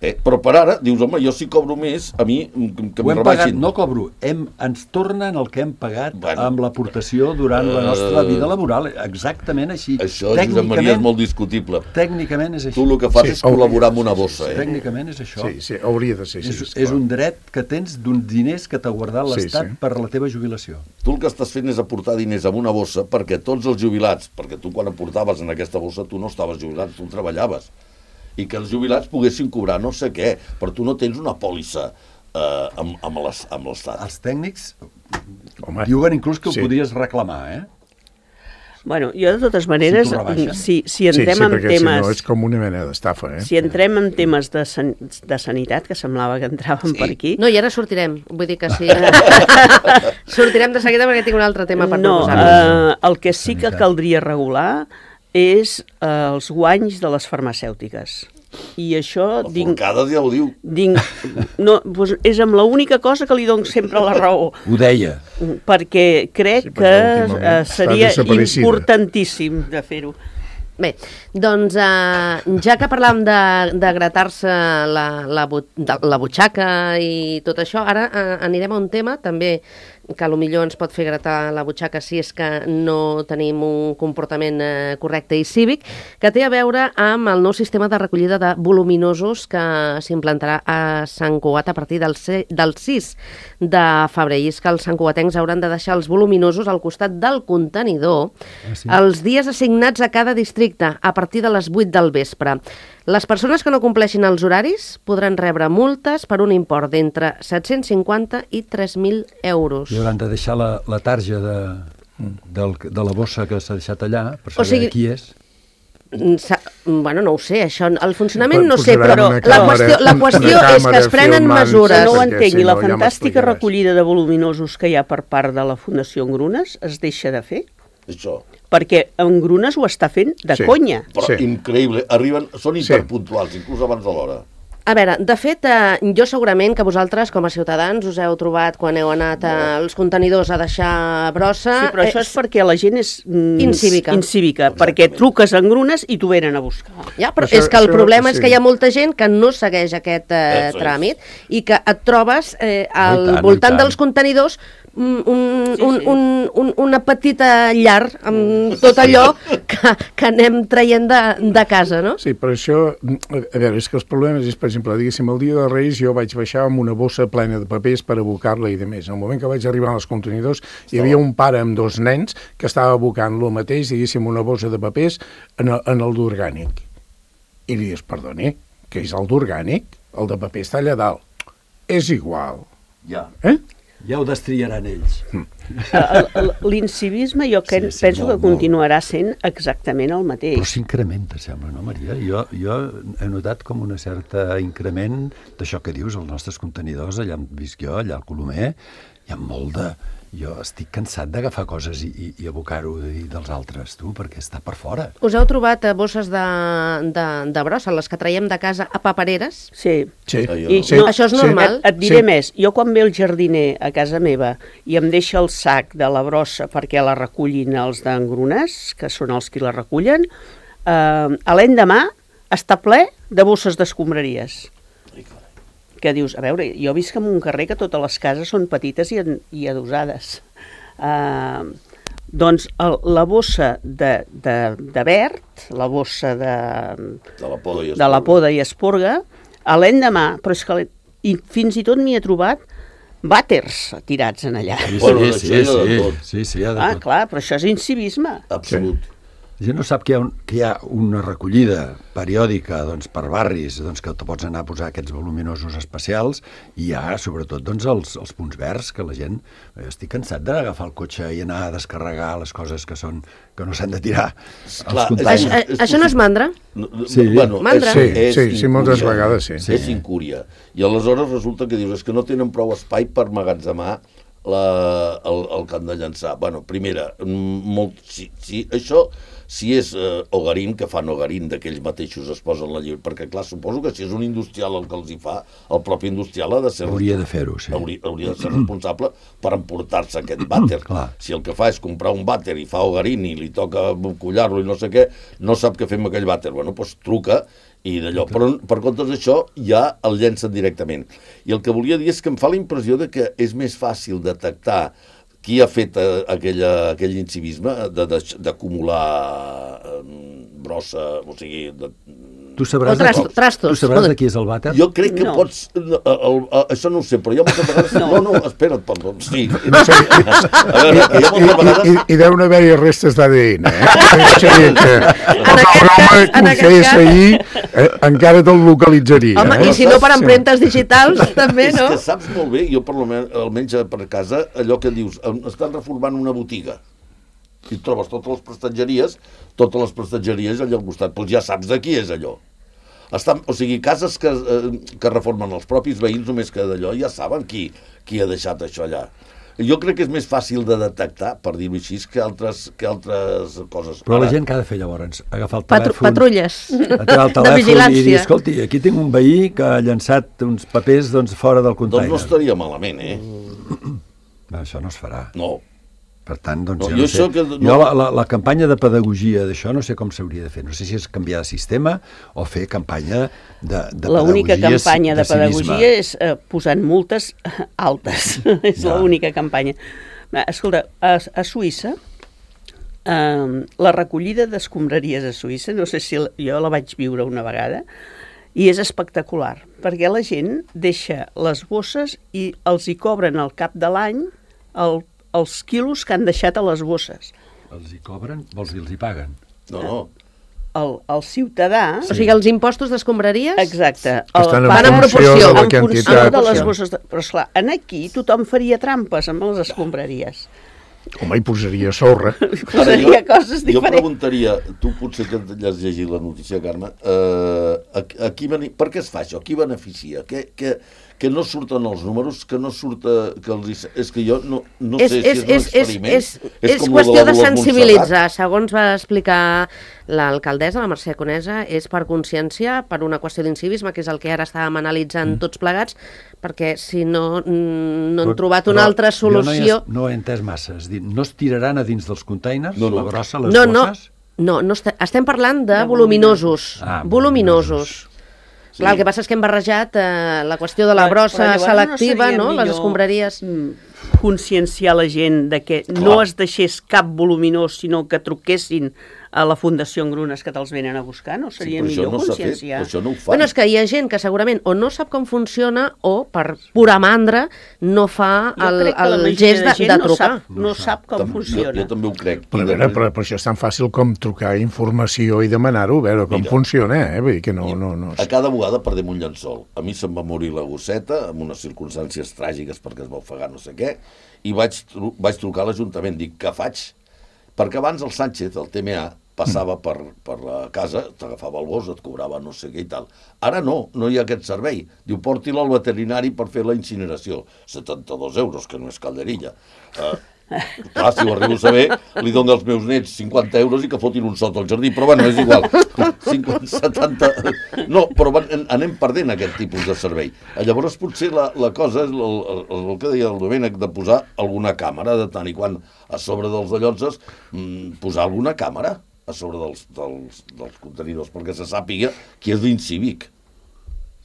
Eh, però per ara, dius, home, jo si cobro més, a mi que, que Ho em hem pagat, rebaixin. no cobro, hem, ens tornen el que hem pagat Bueno. amb l'aportació durant la nostra Eh, vida laboral. Exactament així. Això, Josep Maria, és molt discutible. Tècnicament és així. Tu el que fas Sí, és col·laborar amb una bossa, eh? Tècnicament és això. Sí, sí, hauria de ser així. És, esclar. és un dret que tens d'uns diners que t'ha guardat Sí, l'Estat sí. per la teva jubilació. Tu el que estàs fent és aportar diners en una bossa perquè tots els jubilats, perquè tu quan aportaves en aquesta bossa tu no estaves jubilat, tu treballaves, i que els jubilats poguessin cobrar no sé què, però tu no tens una pòlissa eh, amb, amb les- amb l'Estat. Els tècnics Home, diuen inclús que ho sí. podries reclamar, eh? Bueno, jo de totes maneres, Si t'ho rebaixen. si, si sí, entrem sí, en perquè temes... si no és com una mena d'estafa, eh? Si entrem en temes de, san de sanitat, que semblava que entràvem Sí. per aquí... No, i ara sortirem. Vull dir que sí. sortirem de seguida perquè tinc un altre tema per no, proposar. eh, el que sí que Sanitat. caldria regular és eh, els guanys de les farmacèutiques. I això... La Dic, forcada ja ho diu. dic, no, doncs és amb l'única cosa que li dono sempre la raó. Ho deia. Perquè crec Sí, que perquè últimament eh, està seria desaparecida. importantíssim de fer-ho. Bé, doncs eh, ja que parlàvem de, de gratar-se la, la, bu- de, la butxaca i tot això, ara eh, anirem a un tema també que potser ens pot fer gratar la butxaca si és que no tenim un comportament eh, correcte i cívic, que té a veure amb el nou sistema de recollida de voluminosos que s'implantarà a Sant Cugat a partir del, se, del sis de febrer. I és que els santcugatencs hauran de deixar els voluminosos al costat del contenidor Ah, sí? els dies assignats a cada districte a partir de les vuit del vespre. Les persones que no compleixin els horaris podran rebre multes per un import d'entre set-cents cinquanta i tres mil euros. I hauran de deixar la, la tarja de, del, de la bossa que s'ha deixat allà, per O saber sigui- qui és. Mm, sa- Bueno, no ho sé, això, el funcionament no sé, Posaran però una la càmera- qüestió, la una qüestió és que càmera es prenen filmant, mesures. Que no ho perquè entenc, si i la no ja fantàstica m'explicaràs. recollida de voluminosos que hi ha per part de la Fundació Engrunes es deixa de fer? Això. Perquè Engrunes ho està fent de Sí. conya. Però Sí. increïble. Arriben, són Sí. hiperpuntuals, inclús abans de l'hora. A veure, de fet, eh, jo segurament que vosaltres, com a ciutadans, us heu trobat quan heu anat als contenidors a deixar brossa... Sí, però això és perquè la gent és mm, Incívica. incívica Exactament. perquè truques a Engrunes i t'ho venen a buscar. Ja, però Això- és que el això- problema és sí. que hi ha molta gent que no segueix aquest eh, Eso és. tràmit i que et trobes eh, al Oh, i tant, voltant i tant. dels contenidors un, un, Sí, un, sí. un, un, una petita llar amb tot allò que, que anem traient de, de casa, no? Sí, però això, a veure, és que els problemes és, per exemple, diguéssim, el dia de Reis jo vaig baixar amb una bossa plena de papers per abocar-la i de més. En el moment que vaig arribar als contenidors, hi havia un pare amb dos nens que estava abocant lo mateix, diguéssim, una bossa de papers en el, en el d'orgànic. I li dius, perdoni, que és el d'orgànic? El de paper està allà dalt. És igual. Ja. Eh? Ja ho destriaran ells. El- el- L'incivisme jo que Sí, sí, penso molt, que continuarà sent exactament el Però mateix. s'incrementa, sembla, no, Maria? Jo, jo he notat com un cert increment d'això que dius, els nostres contenidors, allà on visc jo, allà al Colomer, hi ha molt de... Jo estic cansat d'agafar coses i, i, i abocar-ho dels altres, tu, perquè està per fora. Us heu trobat eh, bosses de, de, de brossa, les que traiem de casa a papereres? Sí. Sí. Ah, jo I no. Sí. no, Això és sí. normal? Et, et diré Sí. més, jo quan ve el jardiner a casa meva i em deixa el sac de la brossa perquè la recullin els d'engrunes, que són els qui la recullen, eh, a l'endemà està ple de bosses d'escombraries. Ai, carai. Que dius, a veure, jo visc en un carrer que totes les cases són petites i, en, i adosades. Uh, doncs el, la bossa de, de, de verd, la bossa de, De la poda i de la poda i esporga, a l'endemà, però és que i fins i tot m'hi he trobat vàters tirats en allà. Sí, Bueno, sí, això sí, hi ha de sí, tot. sí, sí, hi ha de Ah, tot. clar, però això és incivisme. Absolut. La gent no sap que hi ha, un, que hi ha una recollida periòdica doncs, per barris, doncs, que te pots anar a posar aquests voluminosos especials, i hi ha, sobretot, doncs, els, els punts verds, que la gent... Jo estic cansat d'agafar el cotxe i anar a descarregar les coses que són que no s'han de tirar als Clar, containers. Això, eh, això no és mandra? No, no, Sí. Bueno, Mandra. Sí, és, sí, és sí, moltes incúria. vegades sí. Sí. És incúria. I aleshores resulta que dius és que no tenen prou espai per magatzemar la, el, el que han de llançar. Bueno, primera, mm, molt, si, si, això, si és eh, Ogarín, que fan Ogarín, d'aquells mateixos es posen la lliure, perquè clar, suposo que si és un industrial el que els hi fa, el propi industrial ha de ser... Hauria de fer-ho, sí. Hauria, hauria de ser responsable per emportar-se aquest vàter. Clar. Si el que fa és comprar un vàter i fa Ogarín i li toca collar-lo i no sé què, no sap què fer amb aquell vàter. Bueno, doncs truca i d'allò. Però per comptes d'això ja el llencen directament. I el que volia dir és que em fa la impressió de que és més fàcil detectar qui ha fet eh, aquella, aquell incivisme de- de- d'acumular eh, brossa, o sigui... De, Tu sabràs, O trasto- de, trastos. tu sabràs de qui és el vàter? jo crec que No. pots... No, el, el, això no ho sé, però jo moltes vegades... No, no, no espera't, perdó. Sí. No sé, A veure, que jo I, moltes i, vegades... i, i deuen haver-hi restes d'A D N, eh? O sigui que En el aquest home cas- que en ho aquest fes cas- ahir eh, encara te'l localitzaria. Home, eh? i si no per Sí. empremtes digitals, també, És no? que saps molt bé, jo per almenys, almenys per casa, allò que dius, em- estan reformant una botiga i trobes totes les prestatgeries, totes les prestatgeries allà al costat, doncs ja saps de qui és allò. Estan, o sigui, cases que, eh, que reformen els propis veïns, només que d'allò ja saben qui, qui ha deixat això allà. jo crec que és més fàcil de detectar, per dir-ho així, que altres, que altres coses. Però Ara, la gent que ha de fer llavors? Agafar el Patru telèfon... patrulles Agafar el de telèfon i dir, vigilància. escolti, aquí tinc un veí que ha llançat uns papers doncs, fora del doncs container. no estaria malament, eh? No, això no es farà. No. Per tant, doncs, No, jo jo no sé. això que no- Jo la, la, la campanya de pedagogia d'això no sé com s'hauria de fer. No sé si és canviar de sistema o fer campanya de, de L'única pedagogia, campanya de, de civisme. pedagogia és eh, posant multes altes. és Ja. l'única campanya. Va, escolta, a, a Suïssa, eh, la recollida d'escombraries a Suïssa, no sé si la, jo la vaig viure una vegada, i és espectacular, perquè la gent deixa les bosses i els hi cobren al cap de l'any el, els quilos que han deixat a les bosses. Els hi cobren? Vols dir, els hi paguen? No, no. El, el ciutadà... O sigui, els impostos d'escombraries... Exacte. Estan en van en funció proporció, de la en funció quantitat. de les bosses. De... Però, esclar, en aquí tothom faria trampes amb les escombraries. Home, hi posaria sorra. Posaria coses Jo diferents. preguntaria, tu potser que has llegit la notícia, Carme, eh, a, a qui, bene- per què es fa això? Qui beneficia? Que, que, que no surten els números, que no surta... Que els, hi- és que jo no, no és, sé és, si és un és, és, experiment. és, és com lo qüestió la de Dolors sensibilitzar. Segons va explicar l'alcaldessa, la Mercè Conesa, és per consciència, per una qüestió d'incivisme, que és el que ara estàvem analitzant tots plegats, perquè si no, mm, no han trobat una Però altra solució... Jo no he, no he entès massa. És dir, no es tiraran a dins dels containers, No, no. la grossa, les No, no, bosses? no, no est estem parlant de voluminosos. Ah, voluminosos. voluminosos. Clar, el que passa és que hem barrejat eh, la qüestió de la Però- brossa però llavors selectiva, seria no? Les millor, escombraries... mm, conscienciar la gent de que Clar. no es deixés cap voluminós, sinó que truquessin a la Fundació Engrunes que te'ls venen a buscar, no seria però això millor no s'ha fet, conscienciar? però això no ho fan. Bueno, és que hi ha gent que segurament o no sap com funciona o per pura mandra no fa Jo el, crec que la el majoria gest de, gent de no trucar. sap, no sap com Tam- funciona. Jo, jo també ho crec. Però, a I veure, de- però, però això és tan fàcil com trucar informació i demanar-ho, a veure com Mira. funciona, eh? Vull dir que no... no, no A cada bugada perdem un llençol. A mi se'm va morir la gosseta, amb unes circumstàncies tràgiques perquè es va ofegar no sé què, i vaig, tru vaig trucar a l'Ajuntament, dic, què faig? Perquè abans el Sánchez, el T M A, passava per, per la casa, t'agafava el gos, et cobrava no sé què i tal. Ara no, no hi ha aquest servei. Diu, porti-la al veterinari per fer la incineració. setanta-dos euros, que no és calderilla. Uh, clar, si ho arribo a saber, li dono als meus nets cinquanta euros i que fotin un sot al jardí, però bueno, és igual. cinquanta, setanta... No, però van, anem perdent aquest tipus de servei. Llavors, potser la, la cosa és el, el, el que deia el Domènec, de posar alguna càmera, de tant i quan a sobre dels dallonses, mmm, posar alguna càmera a sobre dels, dels, dels contenidors, perquè se sàpiga qui és l'incívic.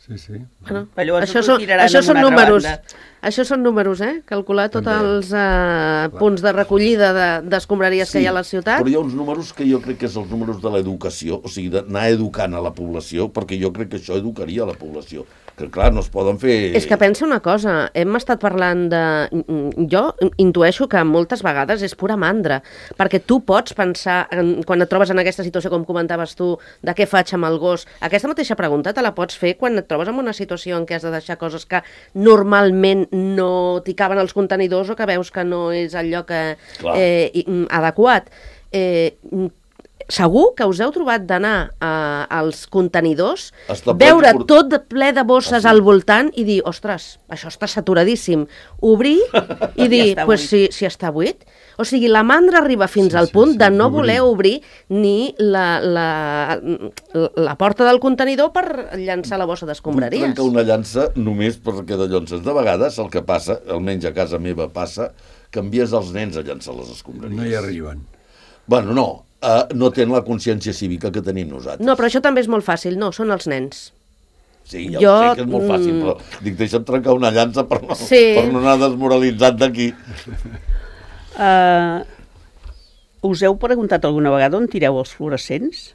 Sí, sí. Bueno, Però llavors això ho són, tiraran això en són una altra números. banda. Això són números, eh? Calcular tots També. els eh, punts de recollida de- d'escombraries que hi ha a la ciutat. Però hi ha uns números que jo crec que són els números de l'educació, o sigui, d'anar educant a la població, perquè jo crec que això educaria a la població. Que, clar, no es poden fer... És que pensa una cosa, hem estat parlant de... Jo intueixo que moltes vegades és pura mandra, perquè tu pots pensar, en, quan et trobes en aquesta situació, com comentaves tu, de què faig amb el gos, aquesta mateixa pregunta te la pots fer quan et trobes en una situació en què has de deixar coses que normalment no t'hi caben als contenidors o que veus que no és el lloc eh, eh, adequat. Eh, segur que us heu trobat d'anar uh, als contenidors, Està ple veure de- tot de ple de bosses Ah, sí. al voltant i dir, ostres, això està saturadíssim. Obrir i dir, està pues buit. si, si està buit. O sigui, la mandra arriba fins Sí, al sí, punt sí, de no obrir. voler obrir ni la, la, la porta del contenidor per llançar la bossa Vull d'escombraries. trencar una llança només perquè de llonces. De vegades el que passa, almenys a casa meva passa, que envies els nens a llançar les escombraries. No hi arriben. Bueno, no, uh, no tenen la consciència cívica que tenim nosaltres. No, però això també és molt fàcil. No, són els nens. Sí, ja Jo, ho sé que és molt fàcil, mm, però dic, deixa'm trencar una llança per no, Sí. per no anar desmoralitzat d'aquí. Uh, us heu preguntat alguna vegada on tireu els fluorescents?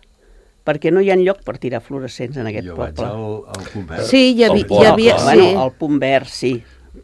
Perquè no hi ha lloc per tirar fluorescents en aquest Jo vaig poble. al, al convert. Sí, hi havia... El port, Hi havia clar. sí. Bueno, al punt verd, sí.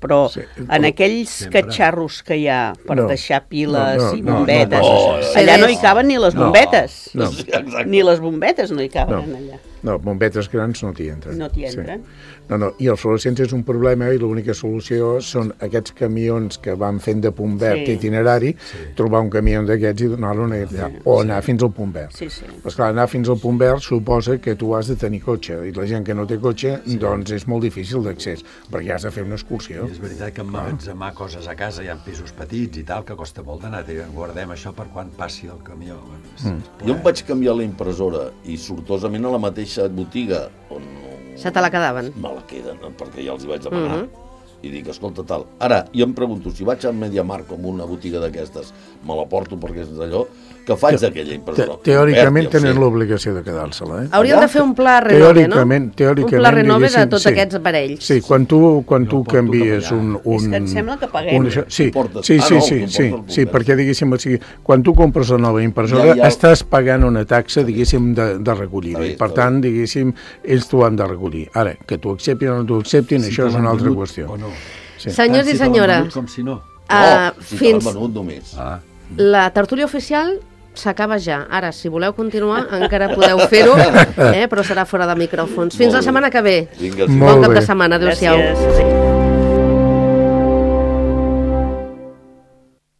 Però Sí, en però aquells sempre. catxarros que hi ha per No. deixar piles No, no, i no, bombetes, no, no, no. allà no hi caben ni les No. bombetes. No. Sí, exacte. Ni les bombetes no hi caben No. allà. No, bombetes grans no t'hi entren. No t'hi entren. Sí. No, no, i els fluorescents és un problema i l'única solució són aquests camions que van fent de punt verd Sí. itinerari, trobar un camió d'aquests i donar-lo allà, o anar fins al punt verd. Sí, sí. Però, esclar, anar fins al punt verd suposa que tu has de tenir cotxe, i la gent que no té cotxe, doncs és molt difícil d'accés, perquè has de fer una excursió. millor. I és veritat que emmagatzemar coses a casa, hi ha pisos petits i tal, que costa molt d'anar, guardem això per quan passi el camió. Mm. Jo em vaig canviar la impressora i sortosament a la mateixa botiga on... Se te la quedaven? Me la queden, perquè ja els hi vaig demanar. Mm-hmm. I dic, escolta, tal. Ara, jo em pregunto, si vaig a MediaMarkt com una botiga d'aquestes, me la porto perquè és d'allò, que faig d'aquella impressora? Te teòricament tenen l'obligació de quedar-se-la, eh? Hauríem de fer un pla renove, no? Teòricament, un pla renove de tots sí. aquests aparells. Sí, quan tu, quan tu canvies un, un... És que em sembla que paguem. Un, sí, sí, sí, sí, sí, sí, sí, perquè, diguéssim, o sigui, quan tu compres la nova impressora, ja, ja... estàs pagant una taxa, diguéssim, de, de recollir-ho. Per tant, diguéssim, ells t'ho han de recollir. Ara, que t'ho acceptin o no t'ho acceptin, això és una altra qüestió. Sí. Senyors i senyores, com si no. Uh, no, si fins venut només. Ah. La tertúlia oficial s'acaba ja. Ara, si voleu continuar, encara podeu fer-ho, eh? Però serà fora de micròfons. Fins la setmana que ve. Vinga, bon cap de setmana. Adéu-siau.